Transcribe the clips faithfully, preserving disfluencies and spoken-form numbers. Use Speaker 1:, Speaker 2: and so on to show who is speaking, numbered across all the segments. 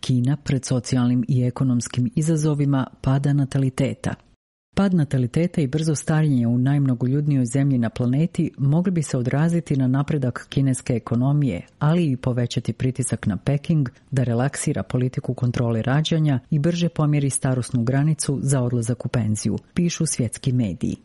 Speaker 1: Kina pred socijalnim i ekonomskim izazovima pada nataliteta. Pad nataliteta i brzo starenje u najmnogoljudnijoj zemlji na planeti mogli bi se odraziti na napredak kineske ekonomije, ali i povećati pritisak na Peking da relaksira politiku kontrole rađanja i brže pomjeri starosnu granicu za odlazak u penziju, pišu svjetski mediji.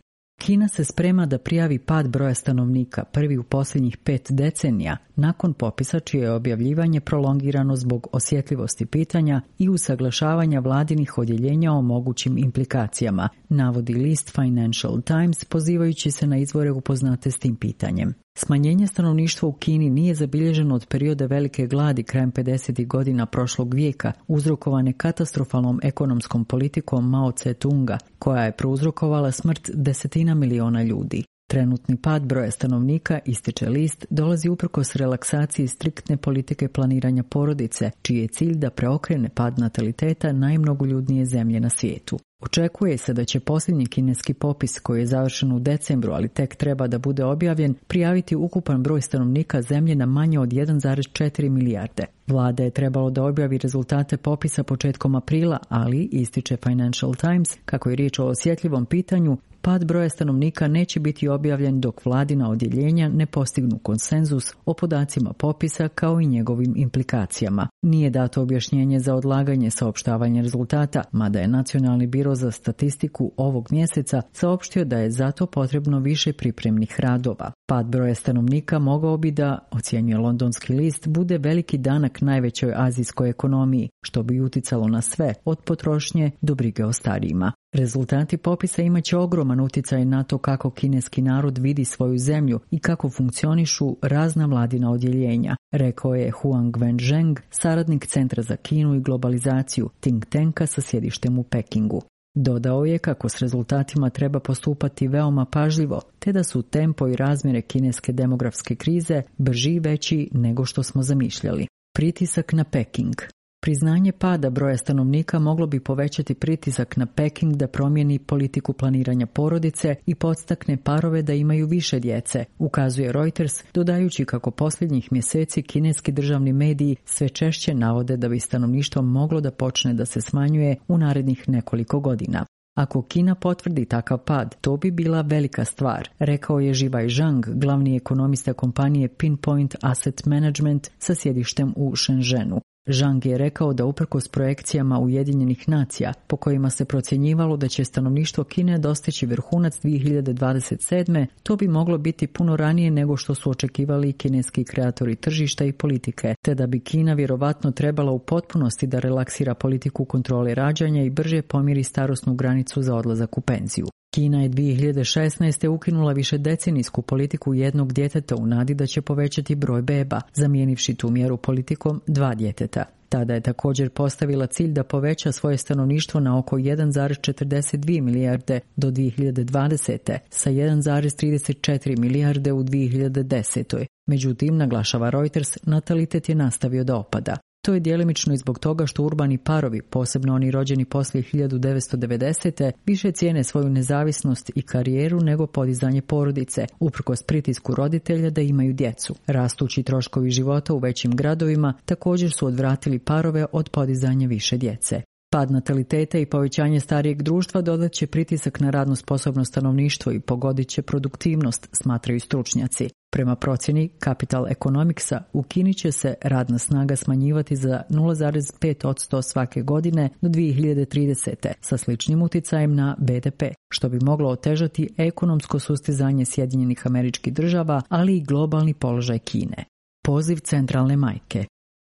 Speaker 1: Kina se sprema da prijavi pad broja stanovnika prvi u posljednjih pet decenija nakon popisa čije je objavljivanje prolongirano zbog osjetljivosti pitanja i usaglašavanja vladinih odjeljenja o mogućim implikacijama, navodi list Financial Times pozivajući se na izvore upoznate s tim pitanjem. Smanjenje stanovništva u Kini nije zabilježeno od perioda velike gladi krajem pedesetih godina prošlog vijeka, uzrokovane katastrofalnom ekonomskom politikom Mao Tse-tunga, koja je prouzrokovala smrt desetina miliona ljudi. Trenutni pad broja stanovnika, ističe list, dolazi uprkos relaksaciji striktne politike planiranja porodice, čiji je cilj da preokrene pad nataliteta najmnogoljudnije zemlje na svijetu. Očekuje se da će posljednji kineski popis, koji je završen u decembru, ali tek treba da bude objavljen, prijaviti ukupan broj stanovnika zemlje na manje od jedan zarez četiri milijarde. Vlada je trebalo da objavi rezultate popisa početkom aprila, ali, ističe Financial Times, kako je riječ o osjetljivom pitanju, pad broja stanovnika neće biti objavljen dok vladina odjeljenja ne postignu konsenzus o podacima popisa kao i njegovim implikacijama. Nije dato objašnjenje za odlaganje saopštavanja rezultata, mada je Nacionalni biro za statistiku ovog mjeseca saopštio da je zato potrebno više pripremnih radova. Pad broja stanovnika mogao bi da, ocjenjuje londonski list, bude veliki danak najvećoj azijskoj ekonomiji, što bi uticalo na sve, od potrošnje do brige o starijima. Rezultati popisa imaće ogroman utjecaj na to kako kineski narod vidi svoju zemlju i kako funkcionišu razna vladina odjeljenja, rekao je Huang Wenzheng, saradnik Centra za Kinu i globalizaciju, think tanka sa sjedištem u Pekingu. Dodao je kako s rezultatima treba postupati veoma pažljivo, te da su tempo i razmjere kineske demografske krize brži i veći nego što smo zamišljali. Pritisak na Peking. Priznanje pada broja stanovnika moglo bi povećati pritisak na Peking da promijeni politiku planiranja porodice i podstakne parove da imaju više djece, ukazuje Reuters, dodajući kako posljednjih mjeseci kineski državni mediji sve češće navode da bi stanovništvo moglo da počne da se smanjuje u narednih nekoliko godina. Ako Kina potvrdi takav pad, to bi bila velika stvar, rekao je Zhiwei Zhang, glavni ekonomista kompanije Pinpoint Asset Management sa sjedištem u Shenzhenu. Zhang je rekao da uprkos projekcijama Ujedinjenih nacija, po kojima se procjenjivalo da će stanovništvo Kine dostići vrhunac dvije hiljade dvadeset sedme, to bi moglo biti puno ranije nego što su očekivali kineski kreatori tržišta i politike, te da bi Kina vjerovatno trebala u potpunosti da relaksira politiku kontrole rađanja i brže pomiri starosnu granicu za odlazak u penziju. Kina je dvije hiljade šesnaeste. ukinula višedecenijsku politiku jednog djeteta u nadi da će povećati broj beba, zamijenivši tu mjeru politikom dva djeteta. Tada je također postavila cilj da poveća svoje stanovništvo na oko jedan zarez četrdeset dvije milijarde do dvije hiljade dvadesete. sa jedan zarez trideset četiri milijarde u dvije hiljade desetoj. Međutim, naglašava Reuters, natalitet je nastavio da opada. To je djelimično i zbog toga što urbani parovi, posebno oni rođeni poslije hiljadu devetsto devedesete. više cijene svoju nezavisnost i karijeru nego podizanje porodice, uprkos pritisku roditelja da imaju djecu. Rastući troškovi života u većim gradovima također su odvratili parove od podizanja više djece. Pad nataliteta i povećanje starijeg društva dodat će pritisak na radno sposobno stanovništvo i pogodit će produktivnost, smatraju stručnjaci. Prema procjeni Capital Economicsa, u Kini će se radna snaga smanjivati za nula zarez pet posto svake godine do dvije hiljade tridesete. sa sličnim utjecajem na be de pe, što bi moglo otežati ekonomsko sustizanje Sjedinjenih Američkih Država, ali i globalni položaj Kine. Poziv centralne majke.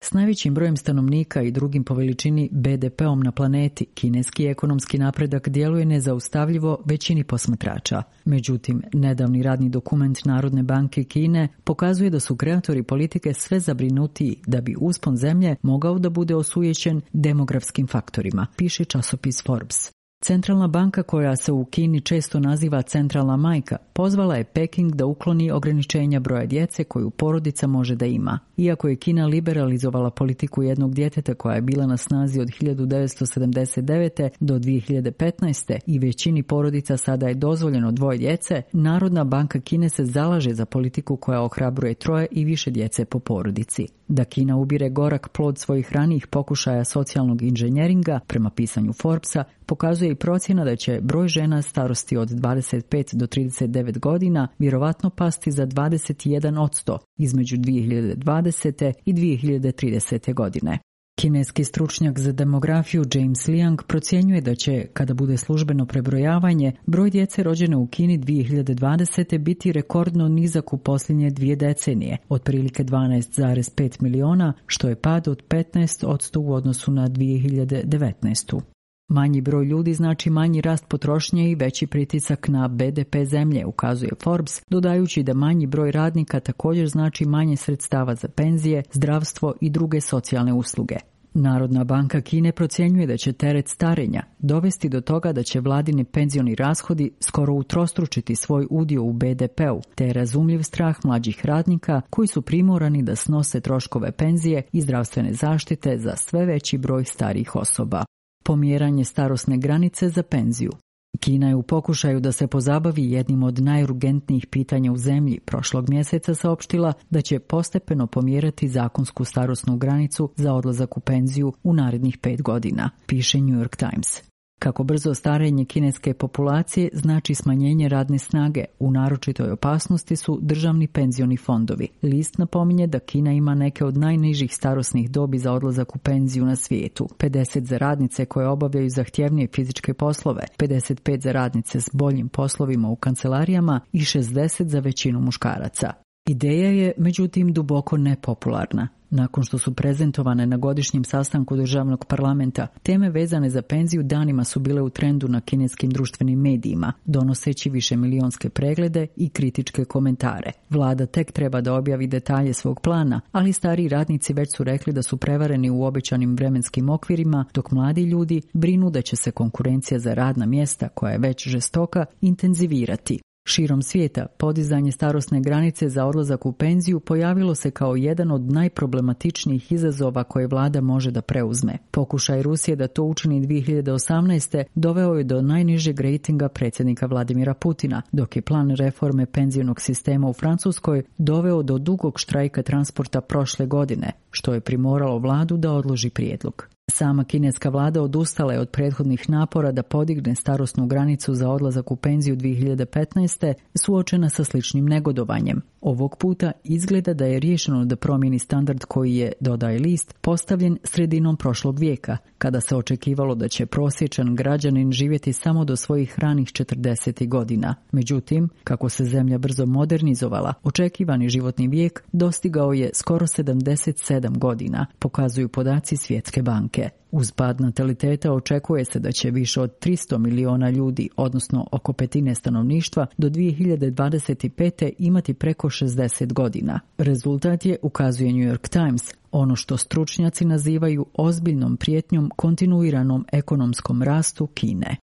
Speaker 1: S najvećim brojem stanovnika i drugim po veličini be de peom na planeti, kineski ekonomski napredak djeluje nezaustavljivo većini posmatrača. Međutim, nedavni radni dokument Narodne banke Kine pokazuje da su kreatori politike sve zabrinutiji da bi uspon zemlje mogao da bude osujećen demografskim faktorima, piše časopis Forbes. Centralna banka, koja se u Kini često naziva centralna majka, pozvala je Peking da ukloni ograničenja broja djece koju porodica može da ima. Iako je Kina liberalizovala politiku jednog djeteta koja je bila na snazi od hiljadu devetsto sedamdeset devete. do dvije hiljade petnaeste. i većini porodica sada je dozvoljeno dvoje djece, Narodna banka Kine se zalaže za politiku koja ohrabruje troje i više djece po porodici. Da Kina ubire gorak plod svojih ranijih pokušaja socijalnog inženjeringa, prema pisanju Forbesa, pokazuje i procjena da će broj žena starosti od dvadeset pet do trideset devet godina vjerovatno pasti za dvadeset jedan posto između dvije hiljade dvadesete. i dvije hiljade tridesete. godine. Kineski stručnjak za demografiju James Liang procjenjuje da će, kada bude službeno prebrojavanje, broj djece rođene u Kini dvije hiljade dvadesete. biti rekordno nizak u posljednje dvije decenije, otprilike dvanaest zarez pet miliona, što je pad od petnaest posto u odnosu na dvije hiljade devetnaestu. Manji broj ljudi znači manji rast potrošnje i veći pritisak na be de pe zemlje, ukazuje Forbes, dodajući da manji broj radnika također znači manje sredstava za penzije, zdravstvo i druge socijalne usluge. Narodna banka Kine procjenjuje da će teret starenja dovesti do toga da će vladini penzioni rashodi skoro utrostručiti svoj udio u be de pe u, te je razumljiv strah mlađih radnika koji su primorani da snose troškove penzije i zdravstvene zaštite za sve veći broj starijih osoba. Pomjeranje starosne granice za penziju. Kina je u pokušaju da se pozabavi jednim od najurgentnijih pitanja u zemlji prošlog mjeseca saopštila da će postepeno pomjerati zakonsku starosnu granicu za odlazak u penziju u narednih pet godina, piše New York Times. Kako brzo starenje kineske populacije znači smanjenje radne snage, u naročitoj opasnosti su državni penzioni fondovi. List napominje da Kina ima neke od najnižih starosnih dobi za odlazak u penziju na svijetu. pedeset za radnice koje obavljaju zahtjevnije fizičke poslove, pedeset pet za radnice s boljim poslovima u kancelarijama i šezdeset za većinu muškaraca. Ideja je, međutim, duboko nepopularna. Nakon što su prezentovane na godišnjem sastanku državnog parlamenta, teme vezane za penziju danima su bile u trendu na kineskim društvenim medijima, donoseći višemilionske preglede i kritičke komentare. Vlada tek treba da objavi detalje svog plana, ali stariji radnici već su rekli da su prevareni u obećanim vremenskim okvirima, dok mladi ljudi brinu da će se konkurencija za radna mjesta, koja je već žestoka, intenzivirati. Širom svijeta, podizanje starosne granice za odlazak u penziju pojavilo se kao jedan od najproblematičnijih izazova koje vlada može da preuzme. Pokušaj Rusije da to učini dvije hiljade osamnaeste. doveo je do najnižeg rejtinga predsjednika Vladimira Putina, dok je plan reforme penzionog sistema u Francuskoj doveo do dugog štrajka transporta prošle godine, što je primoralo vladu da odloži prijedlog. Sama kineska vlada odustala je od prethodnih napora da podigne starosnu granicu za odlazak u penziju dvije hiljade petnaeste. suočena sa sličnim negodovanjem. Ovog puta izgleda da je riješeno da promijeni standard koji je, dodaje list, postavljen sredinom prošlog vijeka, kada se očekivalo da će prosječan građanin živjeti samo do svojih ranih četrdesetih godina. Međutim, kako se zemlja brzo modernizovala, očekivani životni vijek dostigao je skoro sedamdeset sedam godina, pokazuju podaci Svjetske banke. Uz pad nataliteta očekuje se da će više od tristo miliona ljudi, odnosno oko petine stanovništva, do dvije hiljade dvadeset pete. imati preko šezdeset godina. Rezultat je, ukazuje New York Times, ono što stručnjaci nazivaju ozbiljnom prijetnjom kontinuiranom ekonomskom rastu Kine.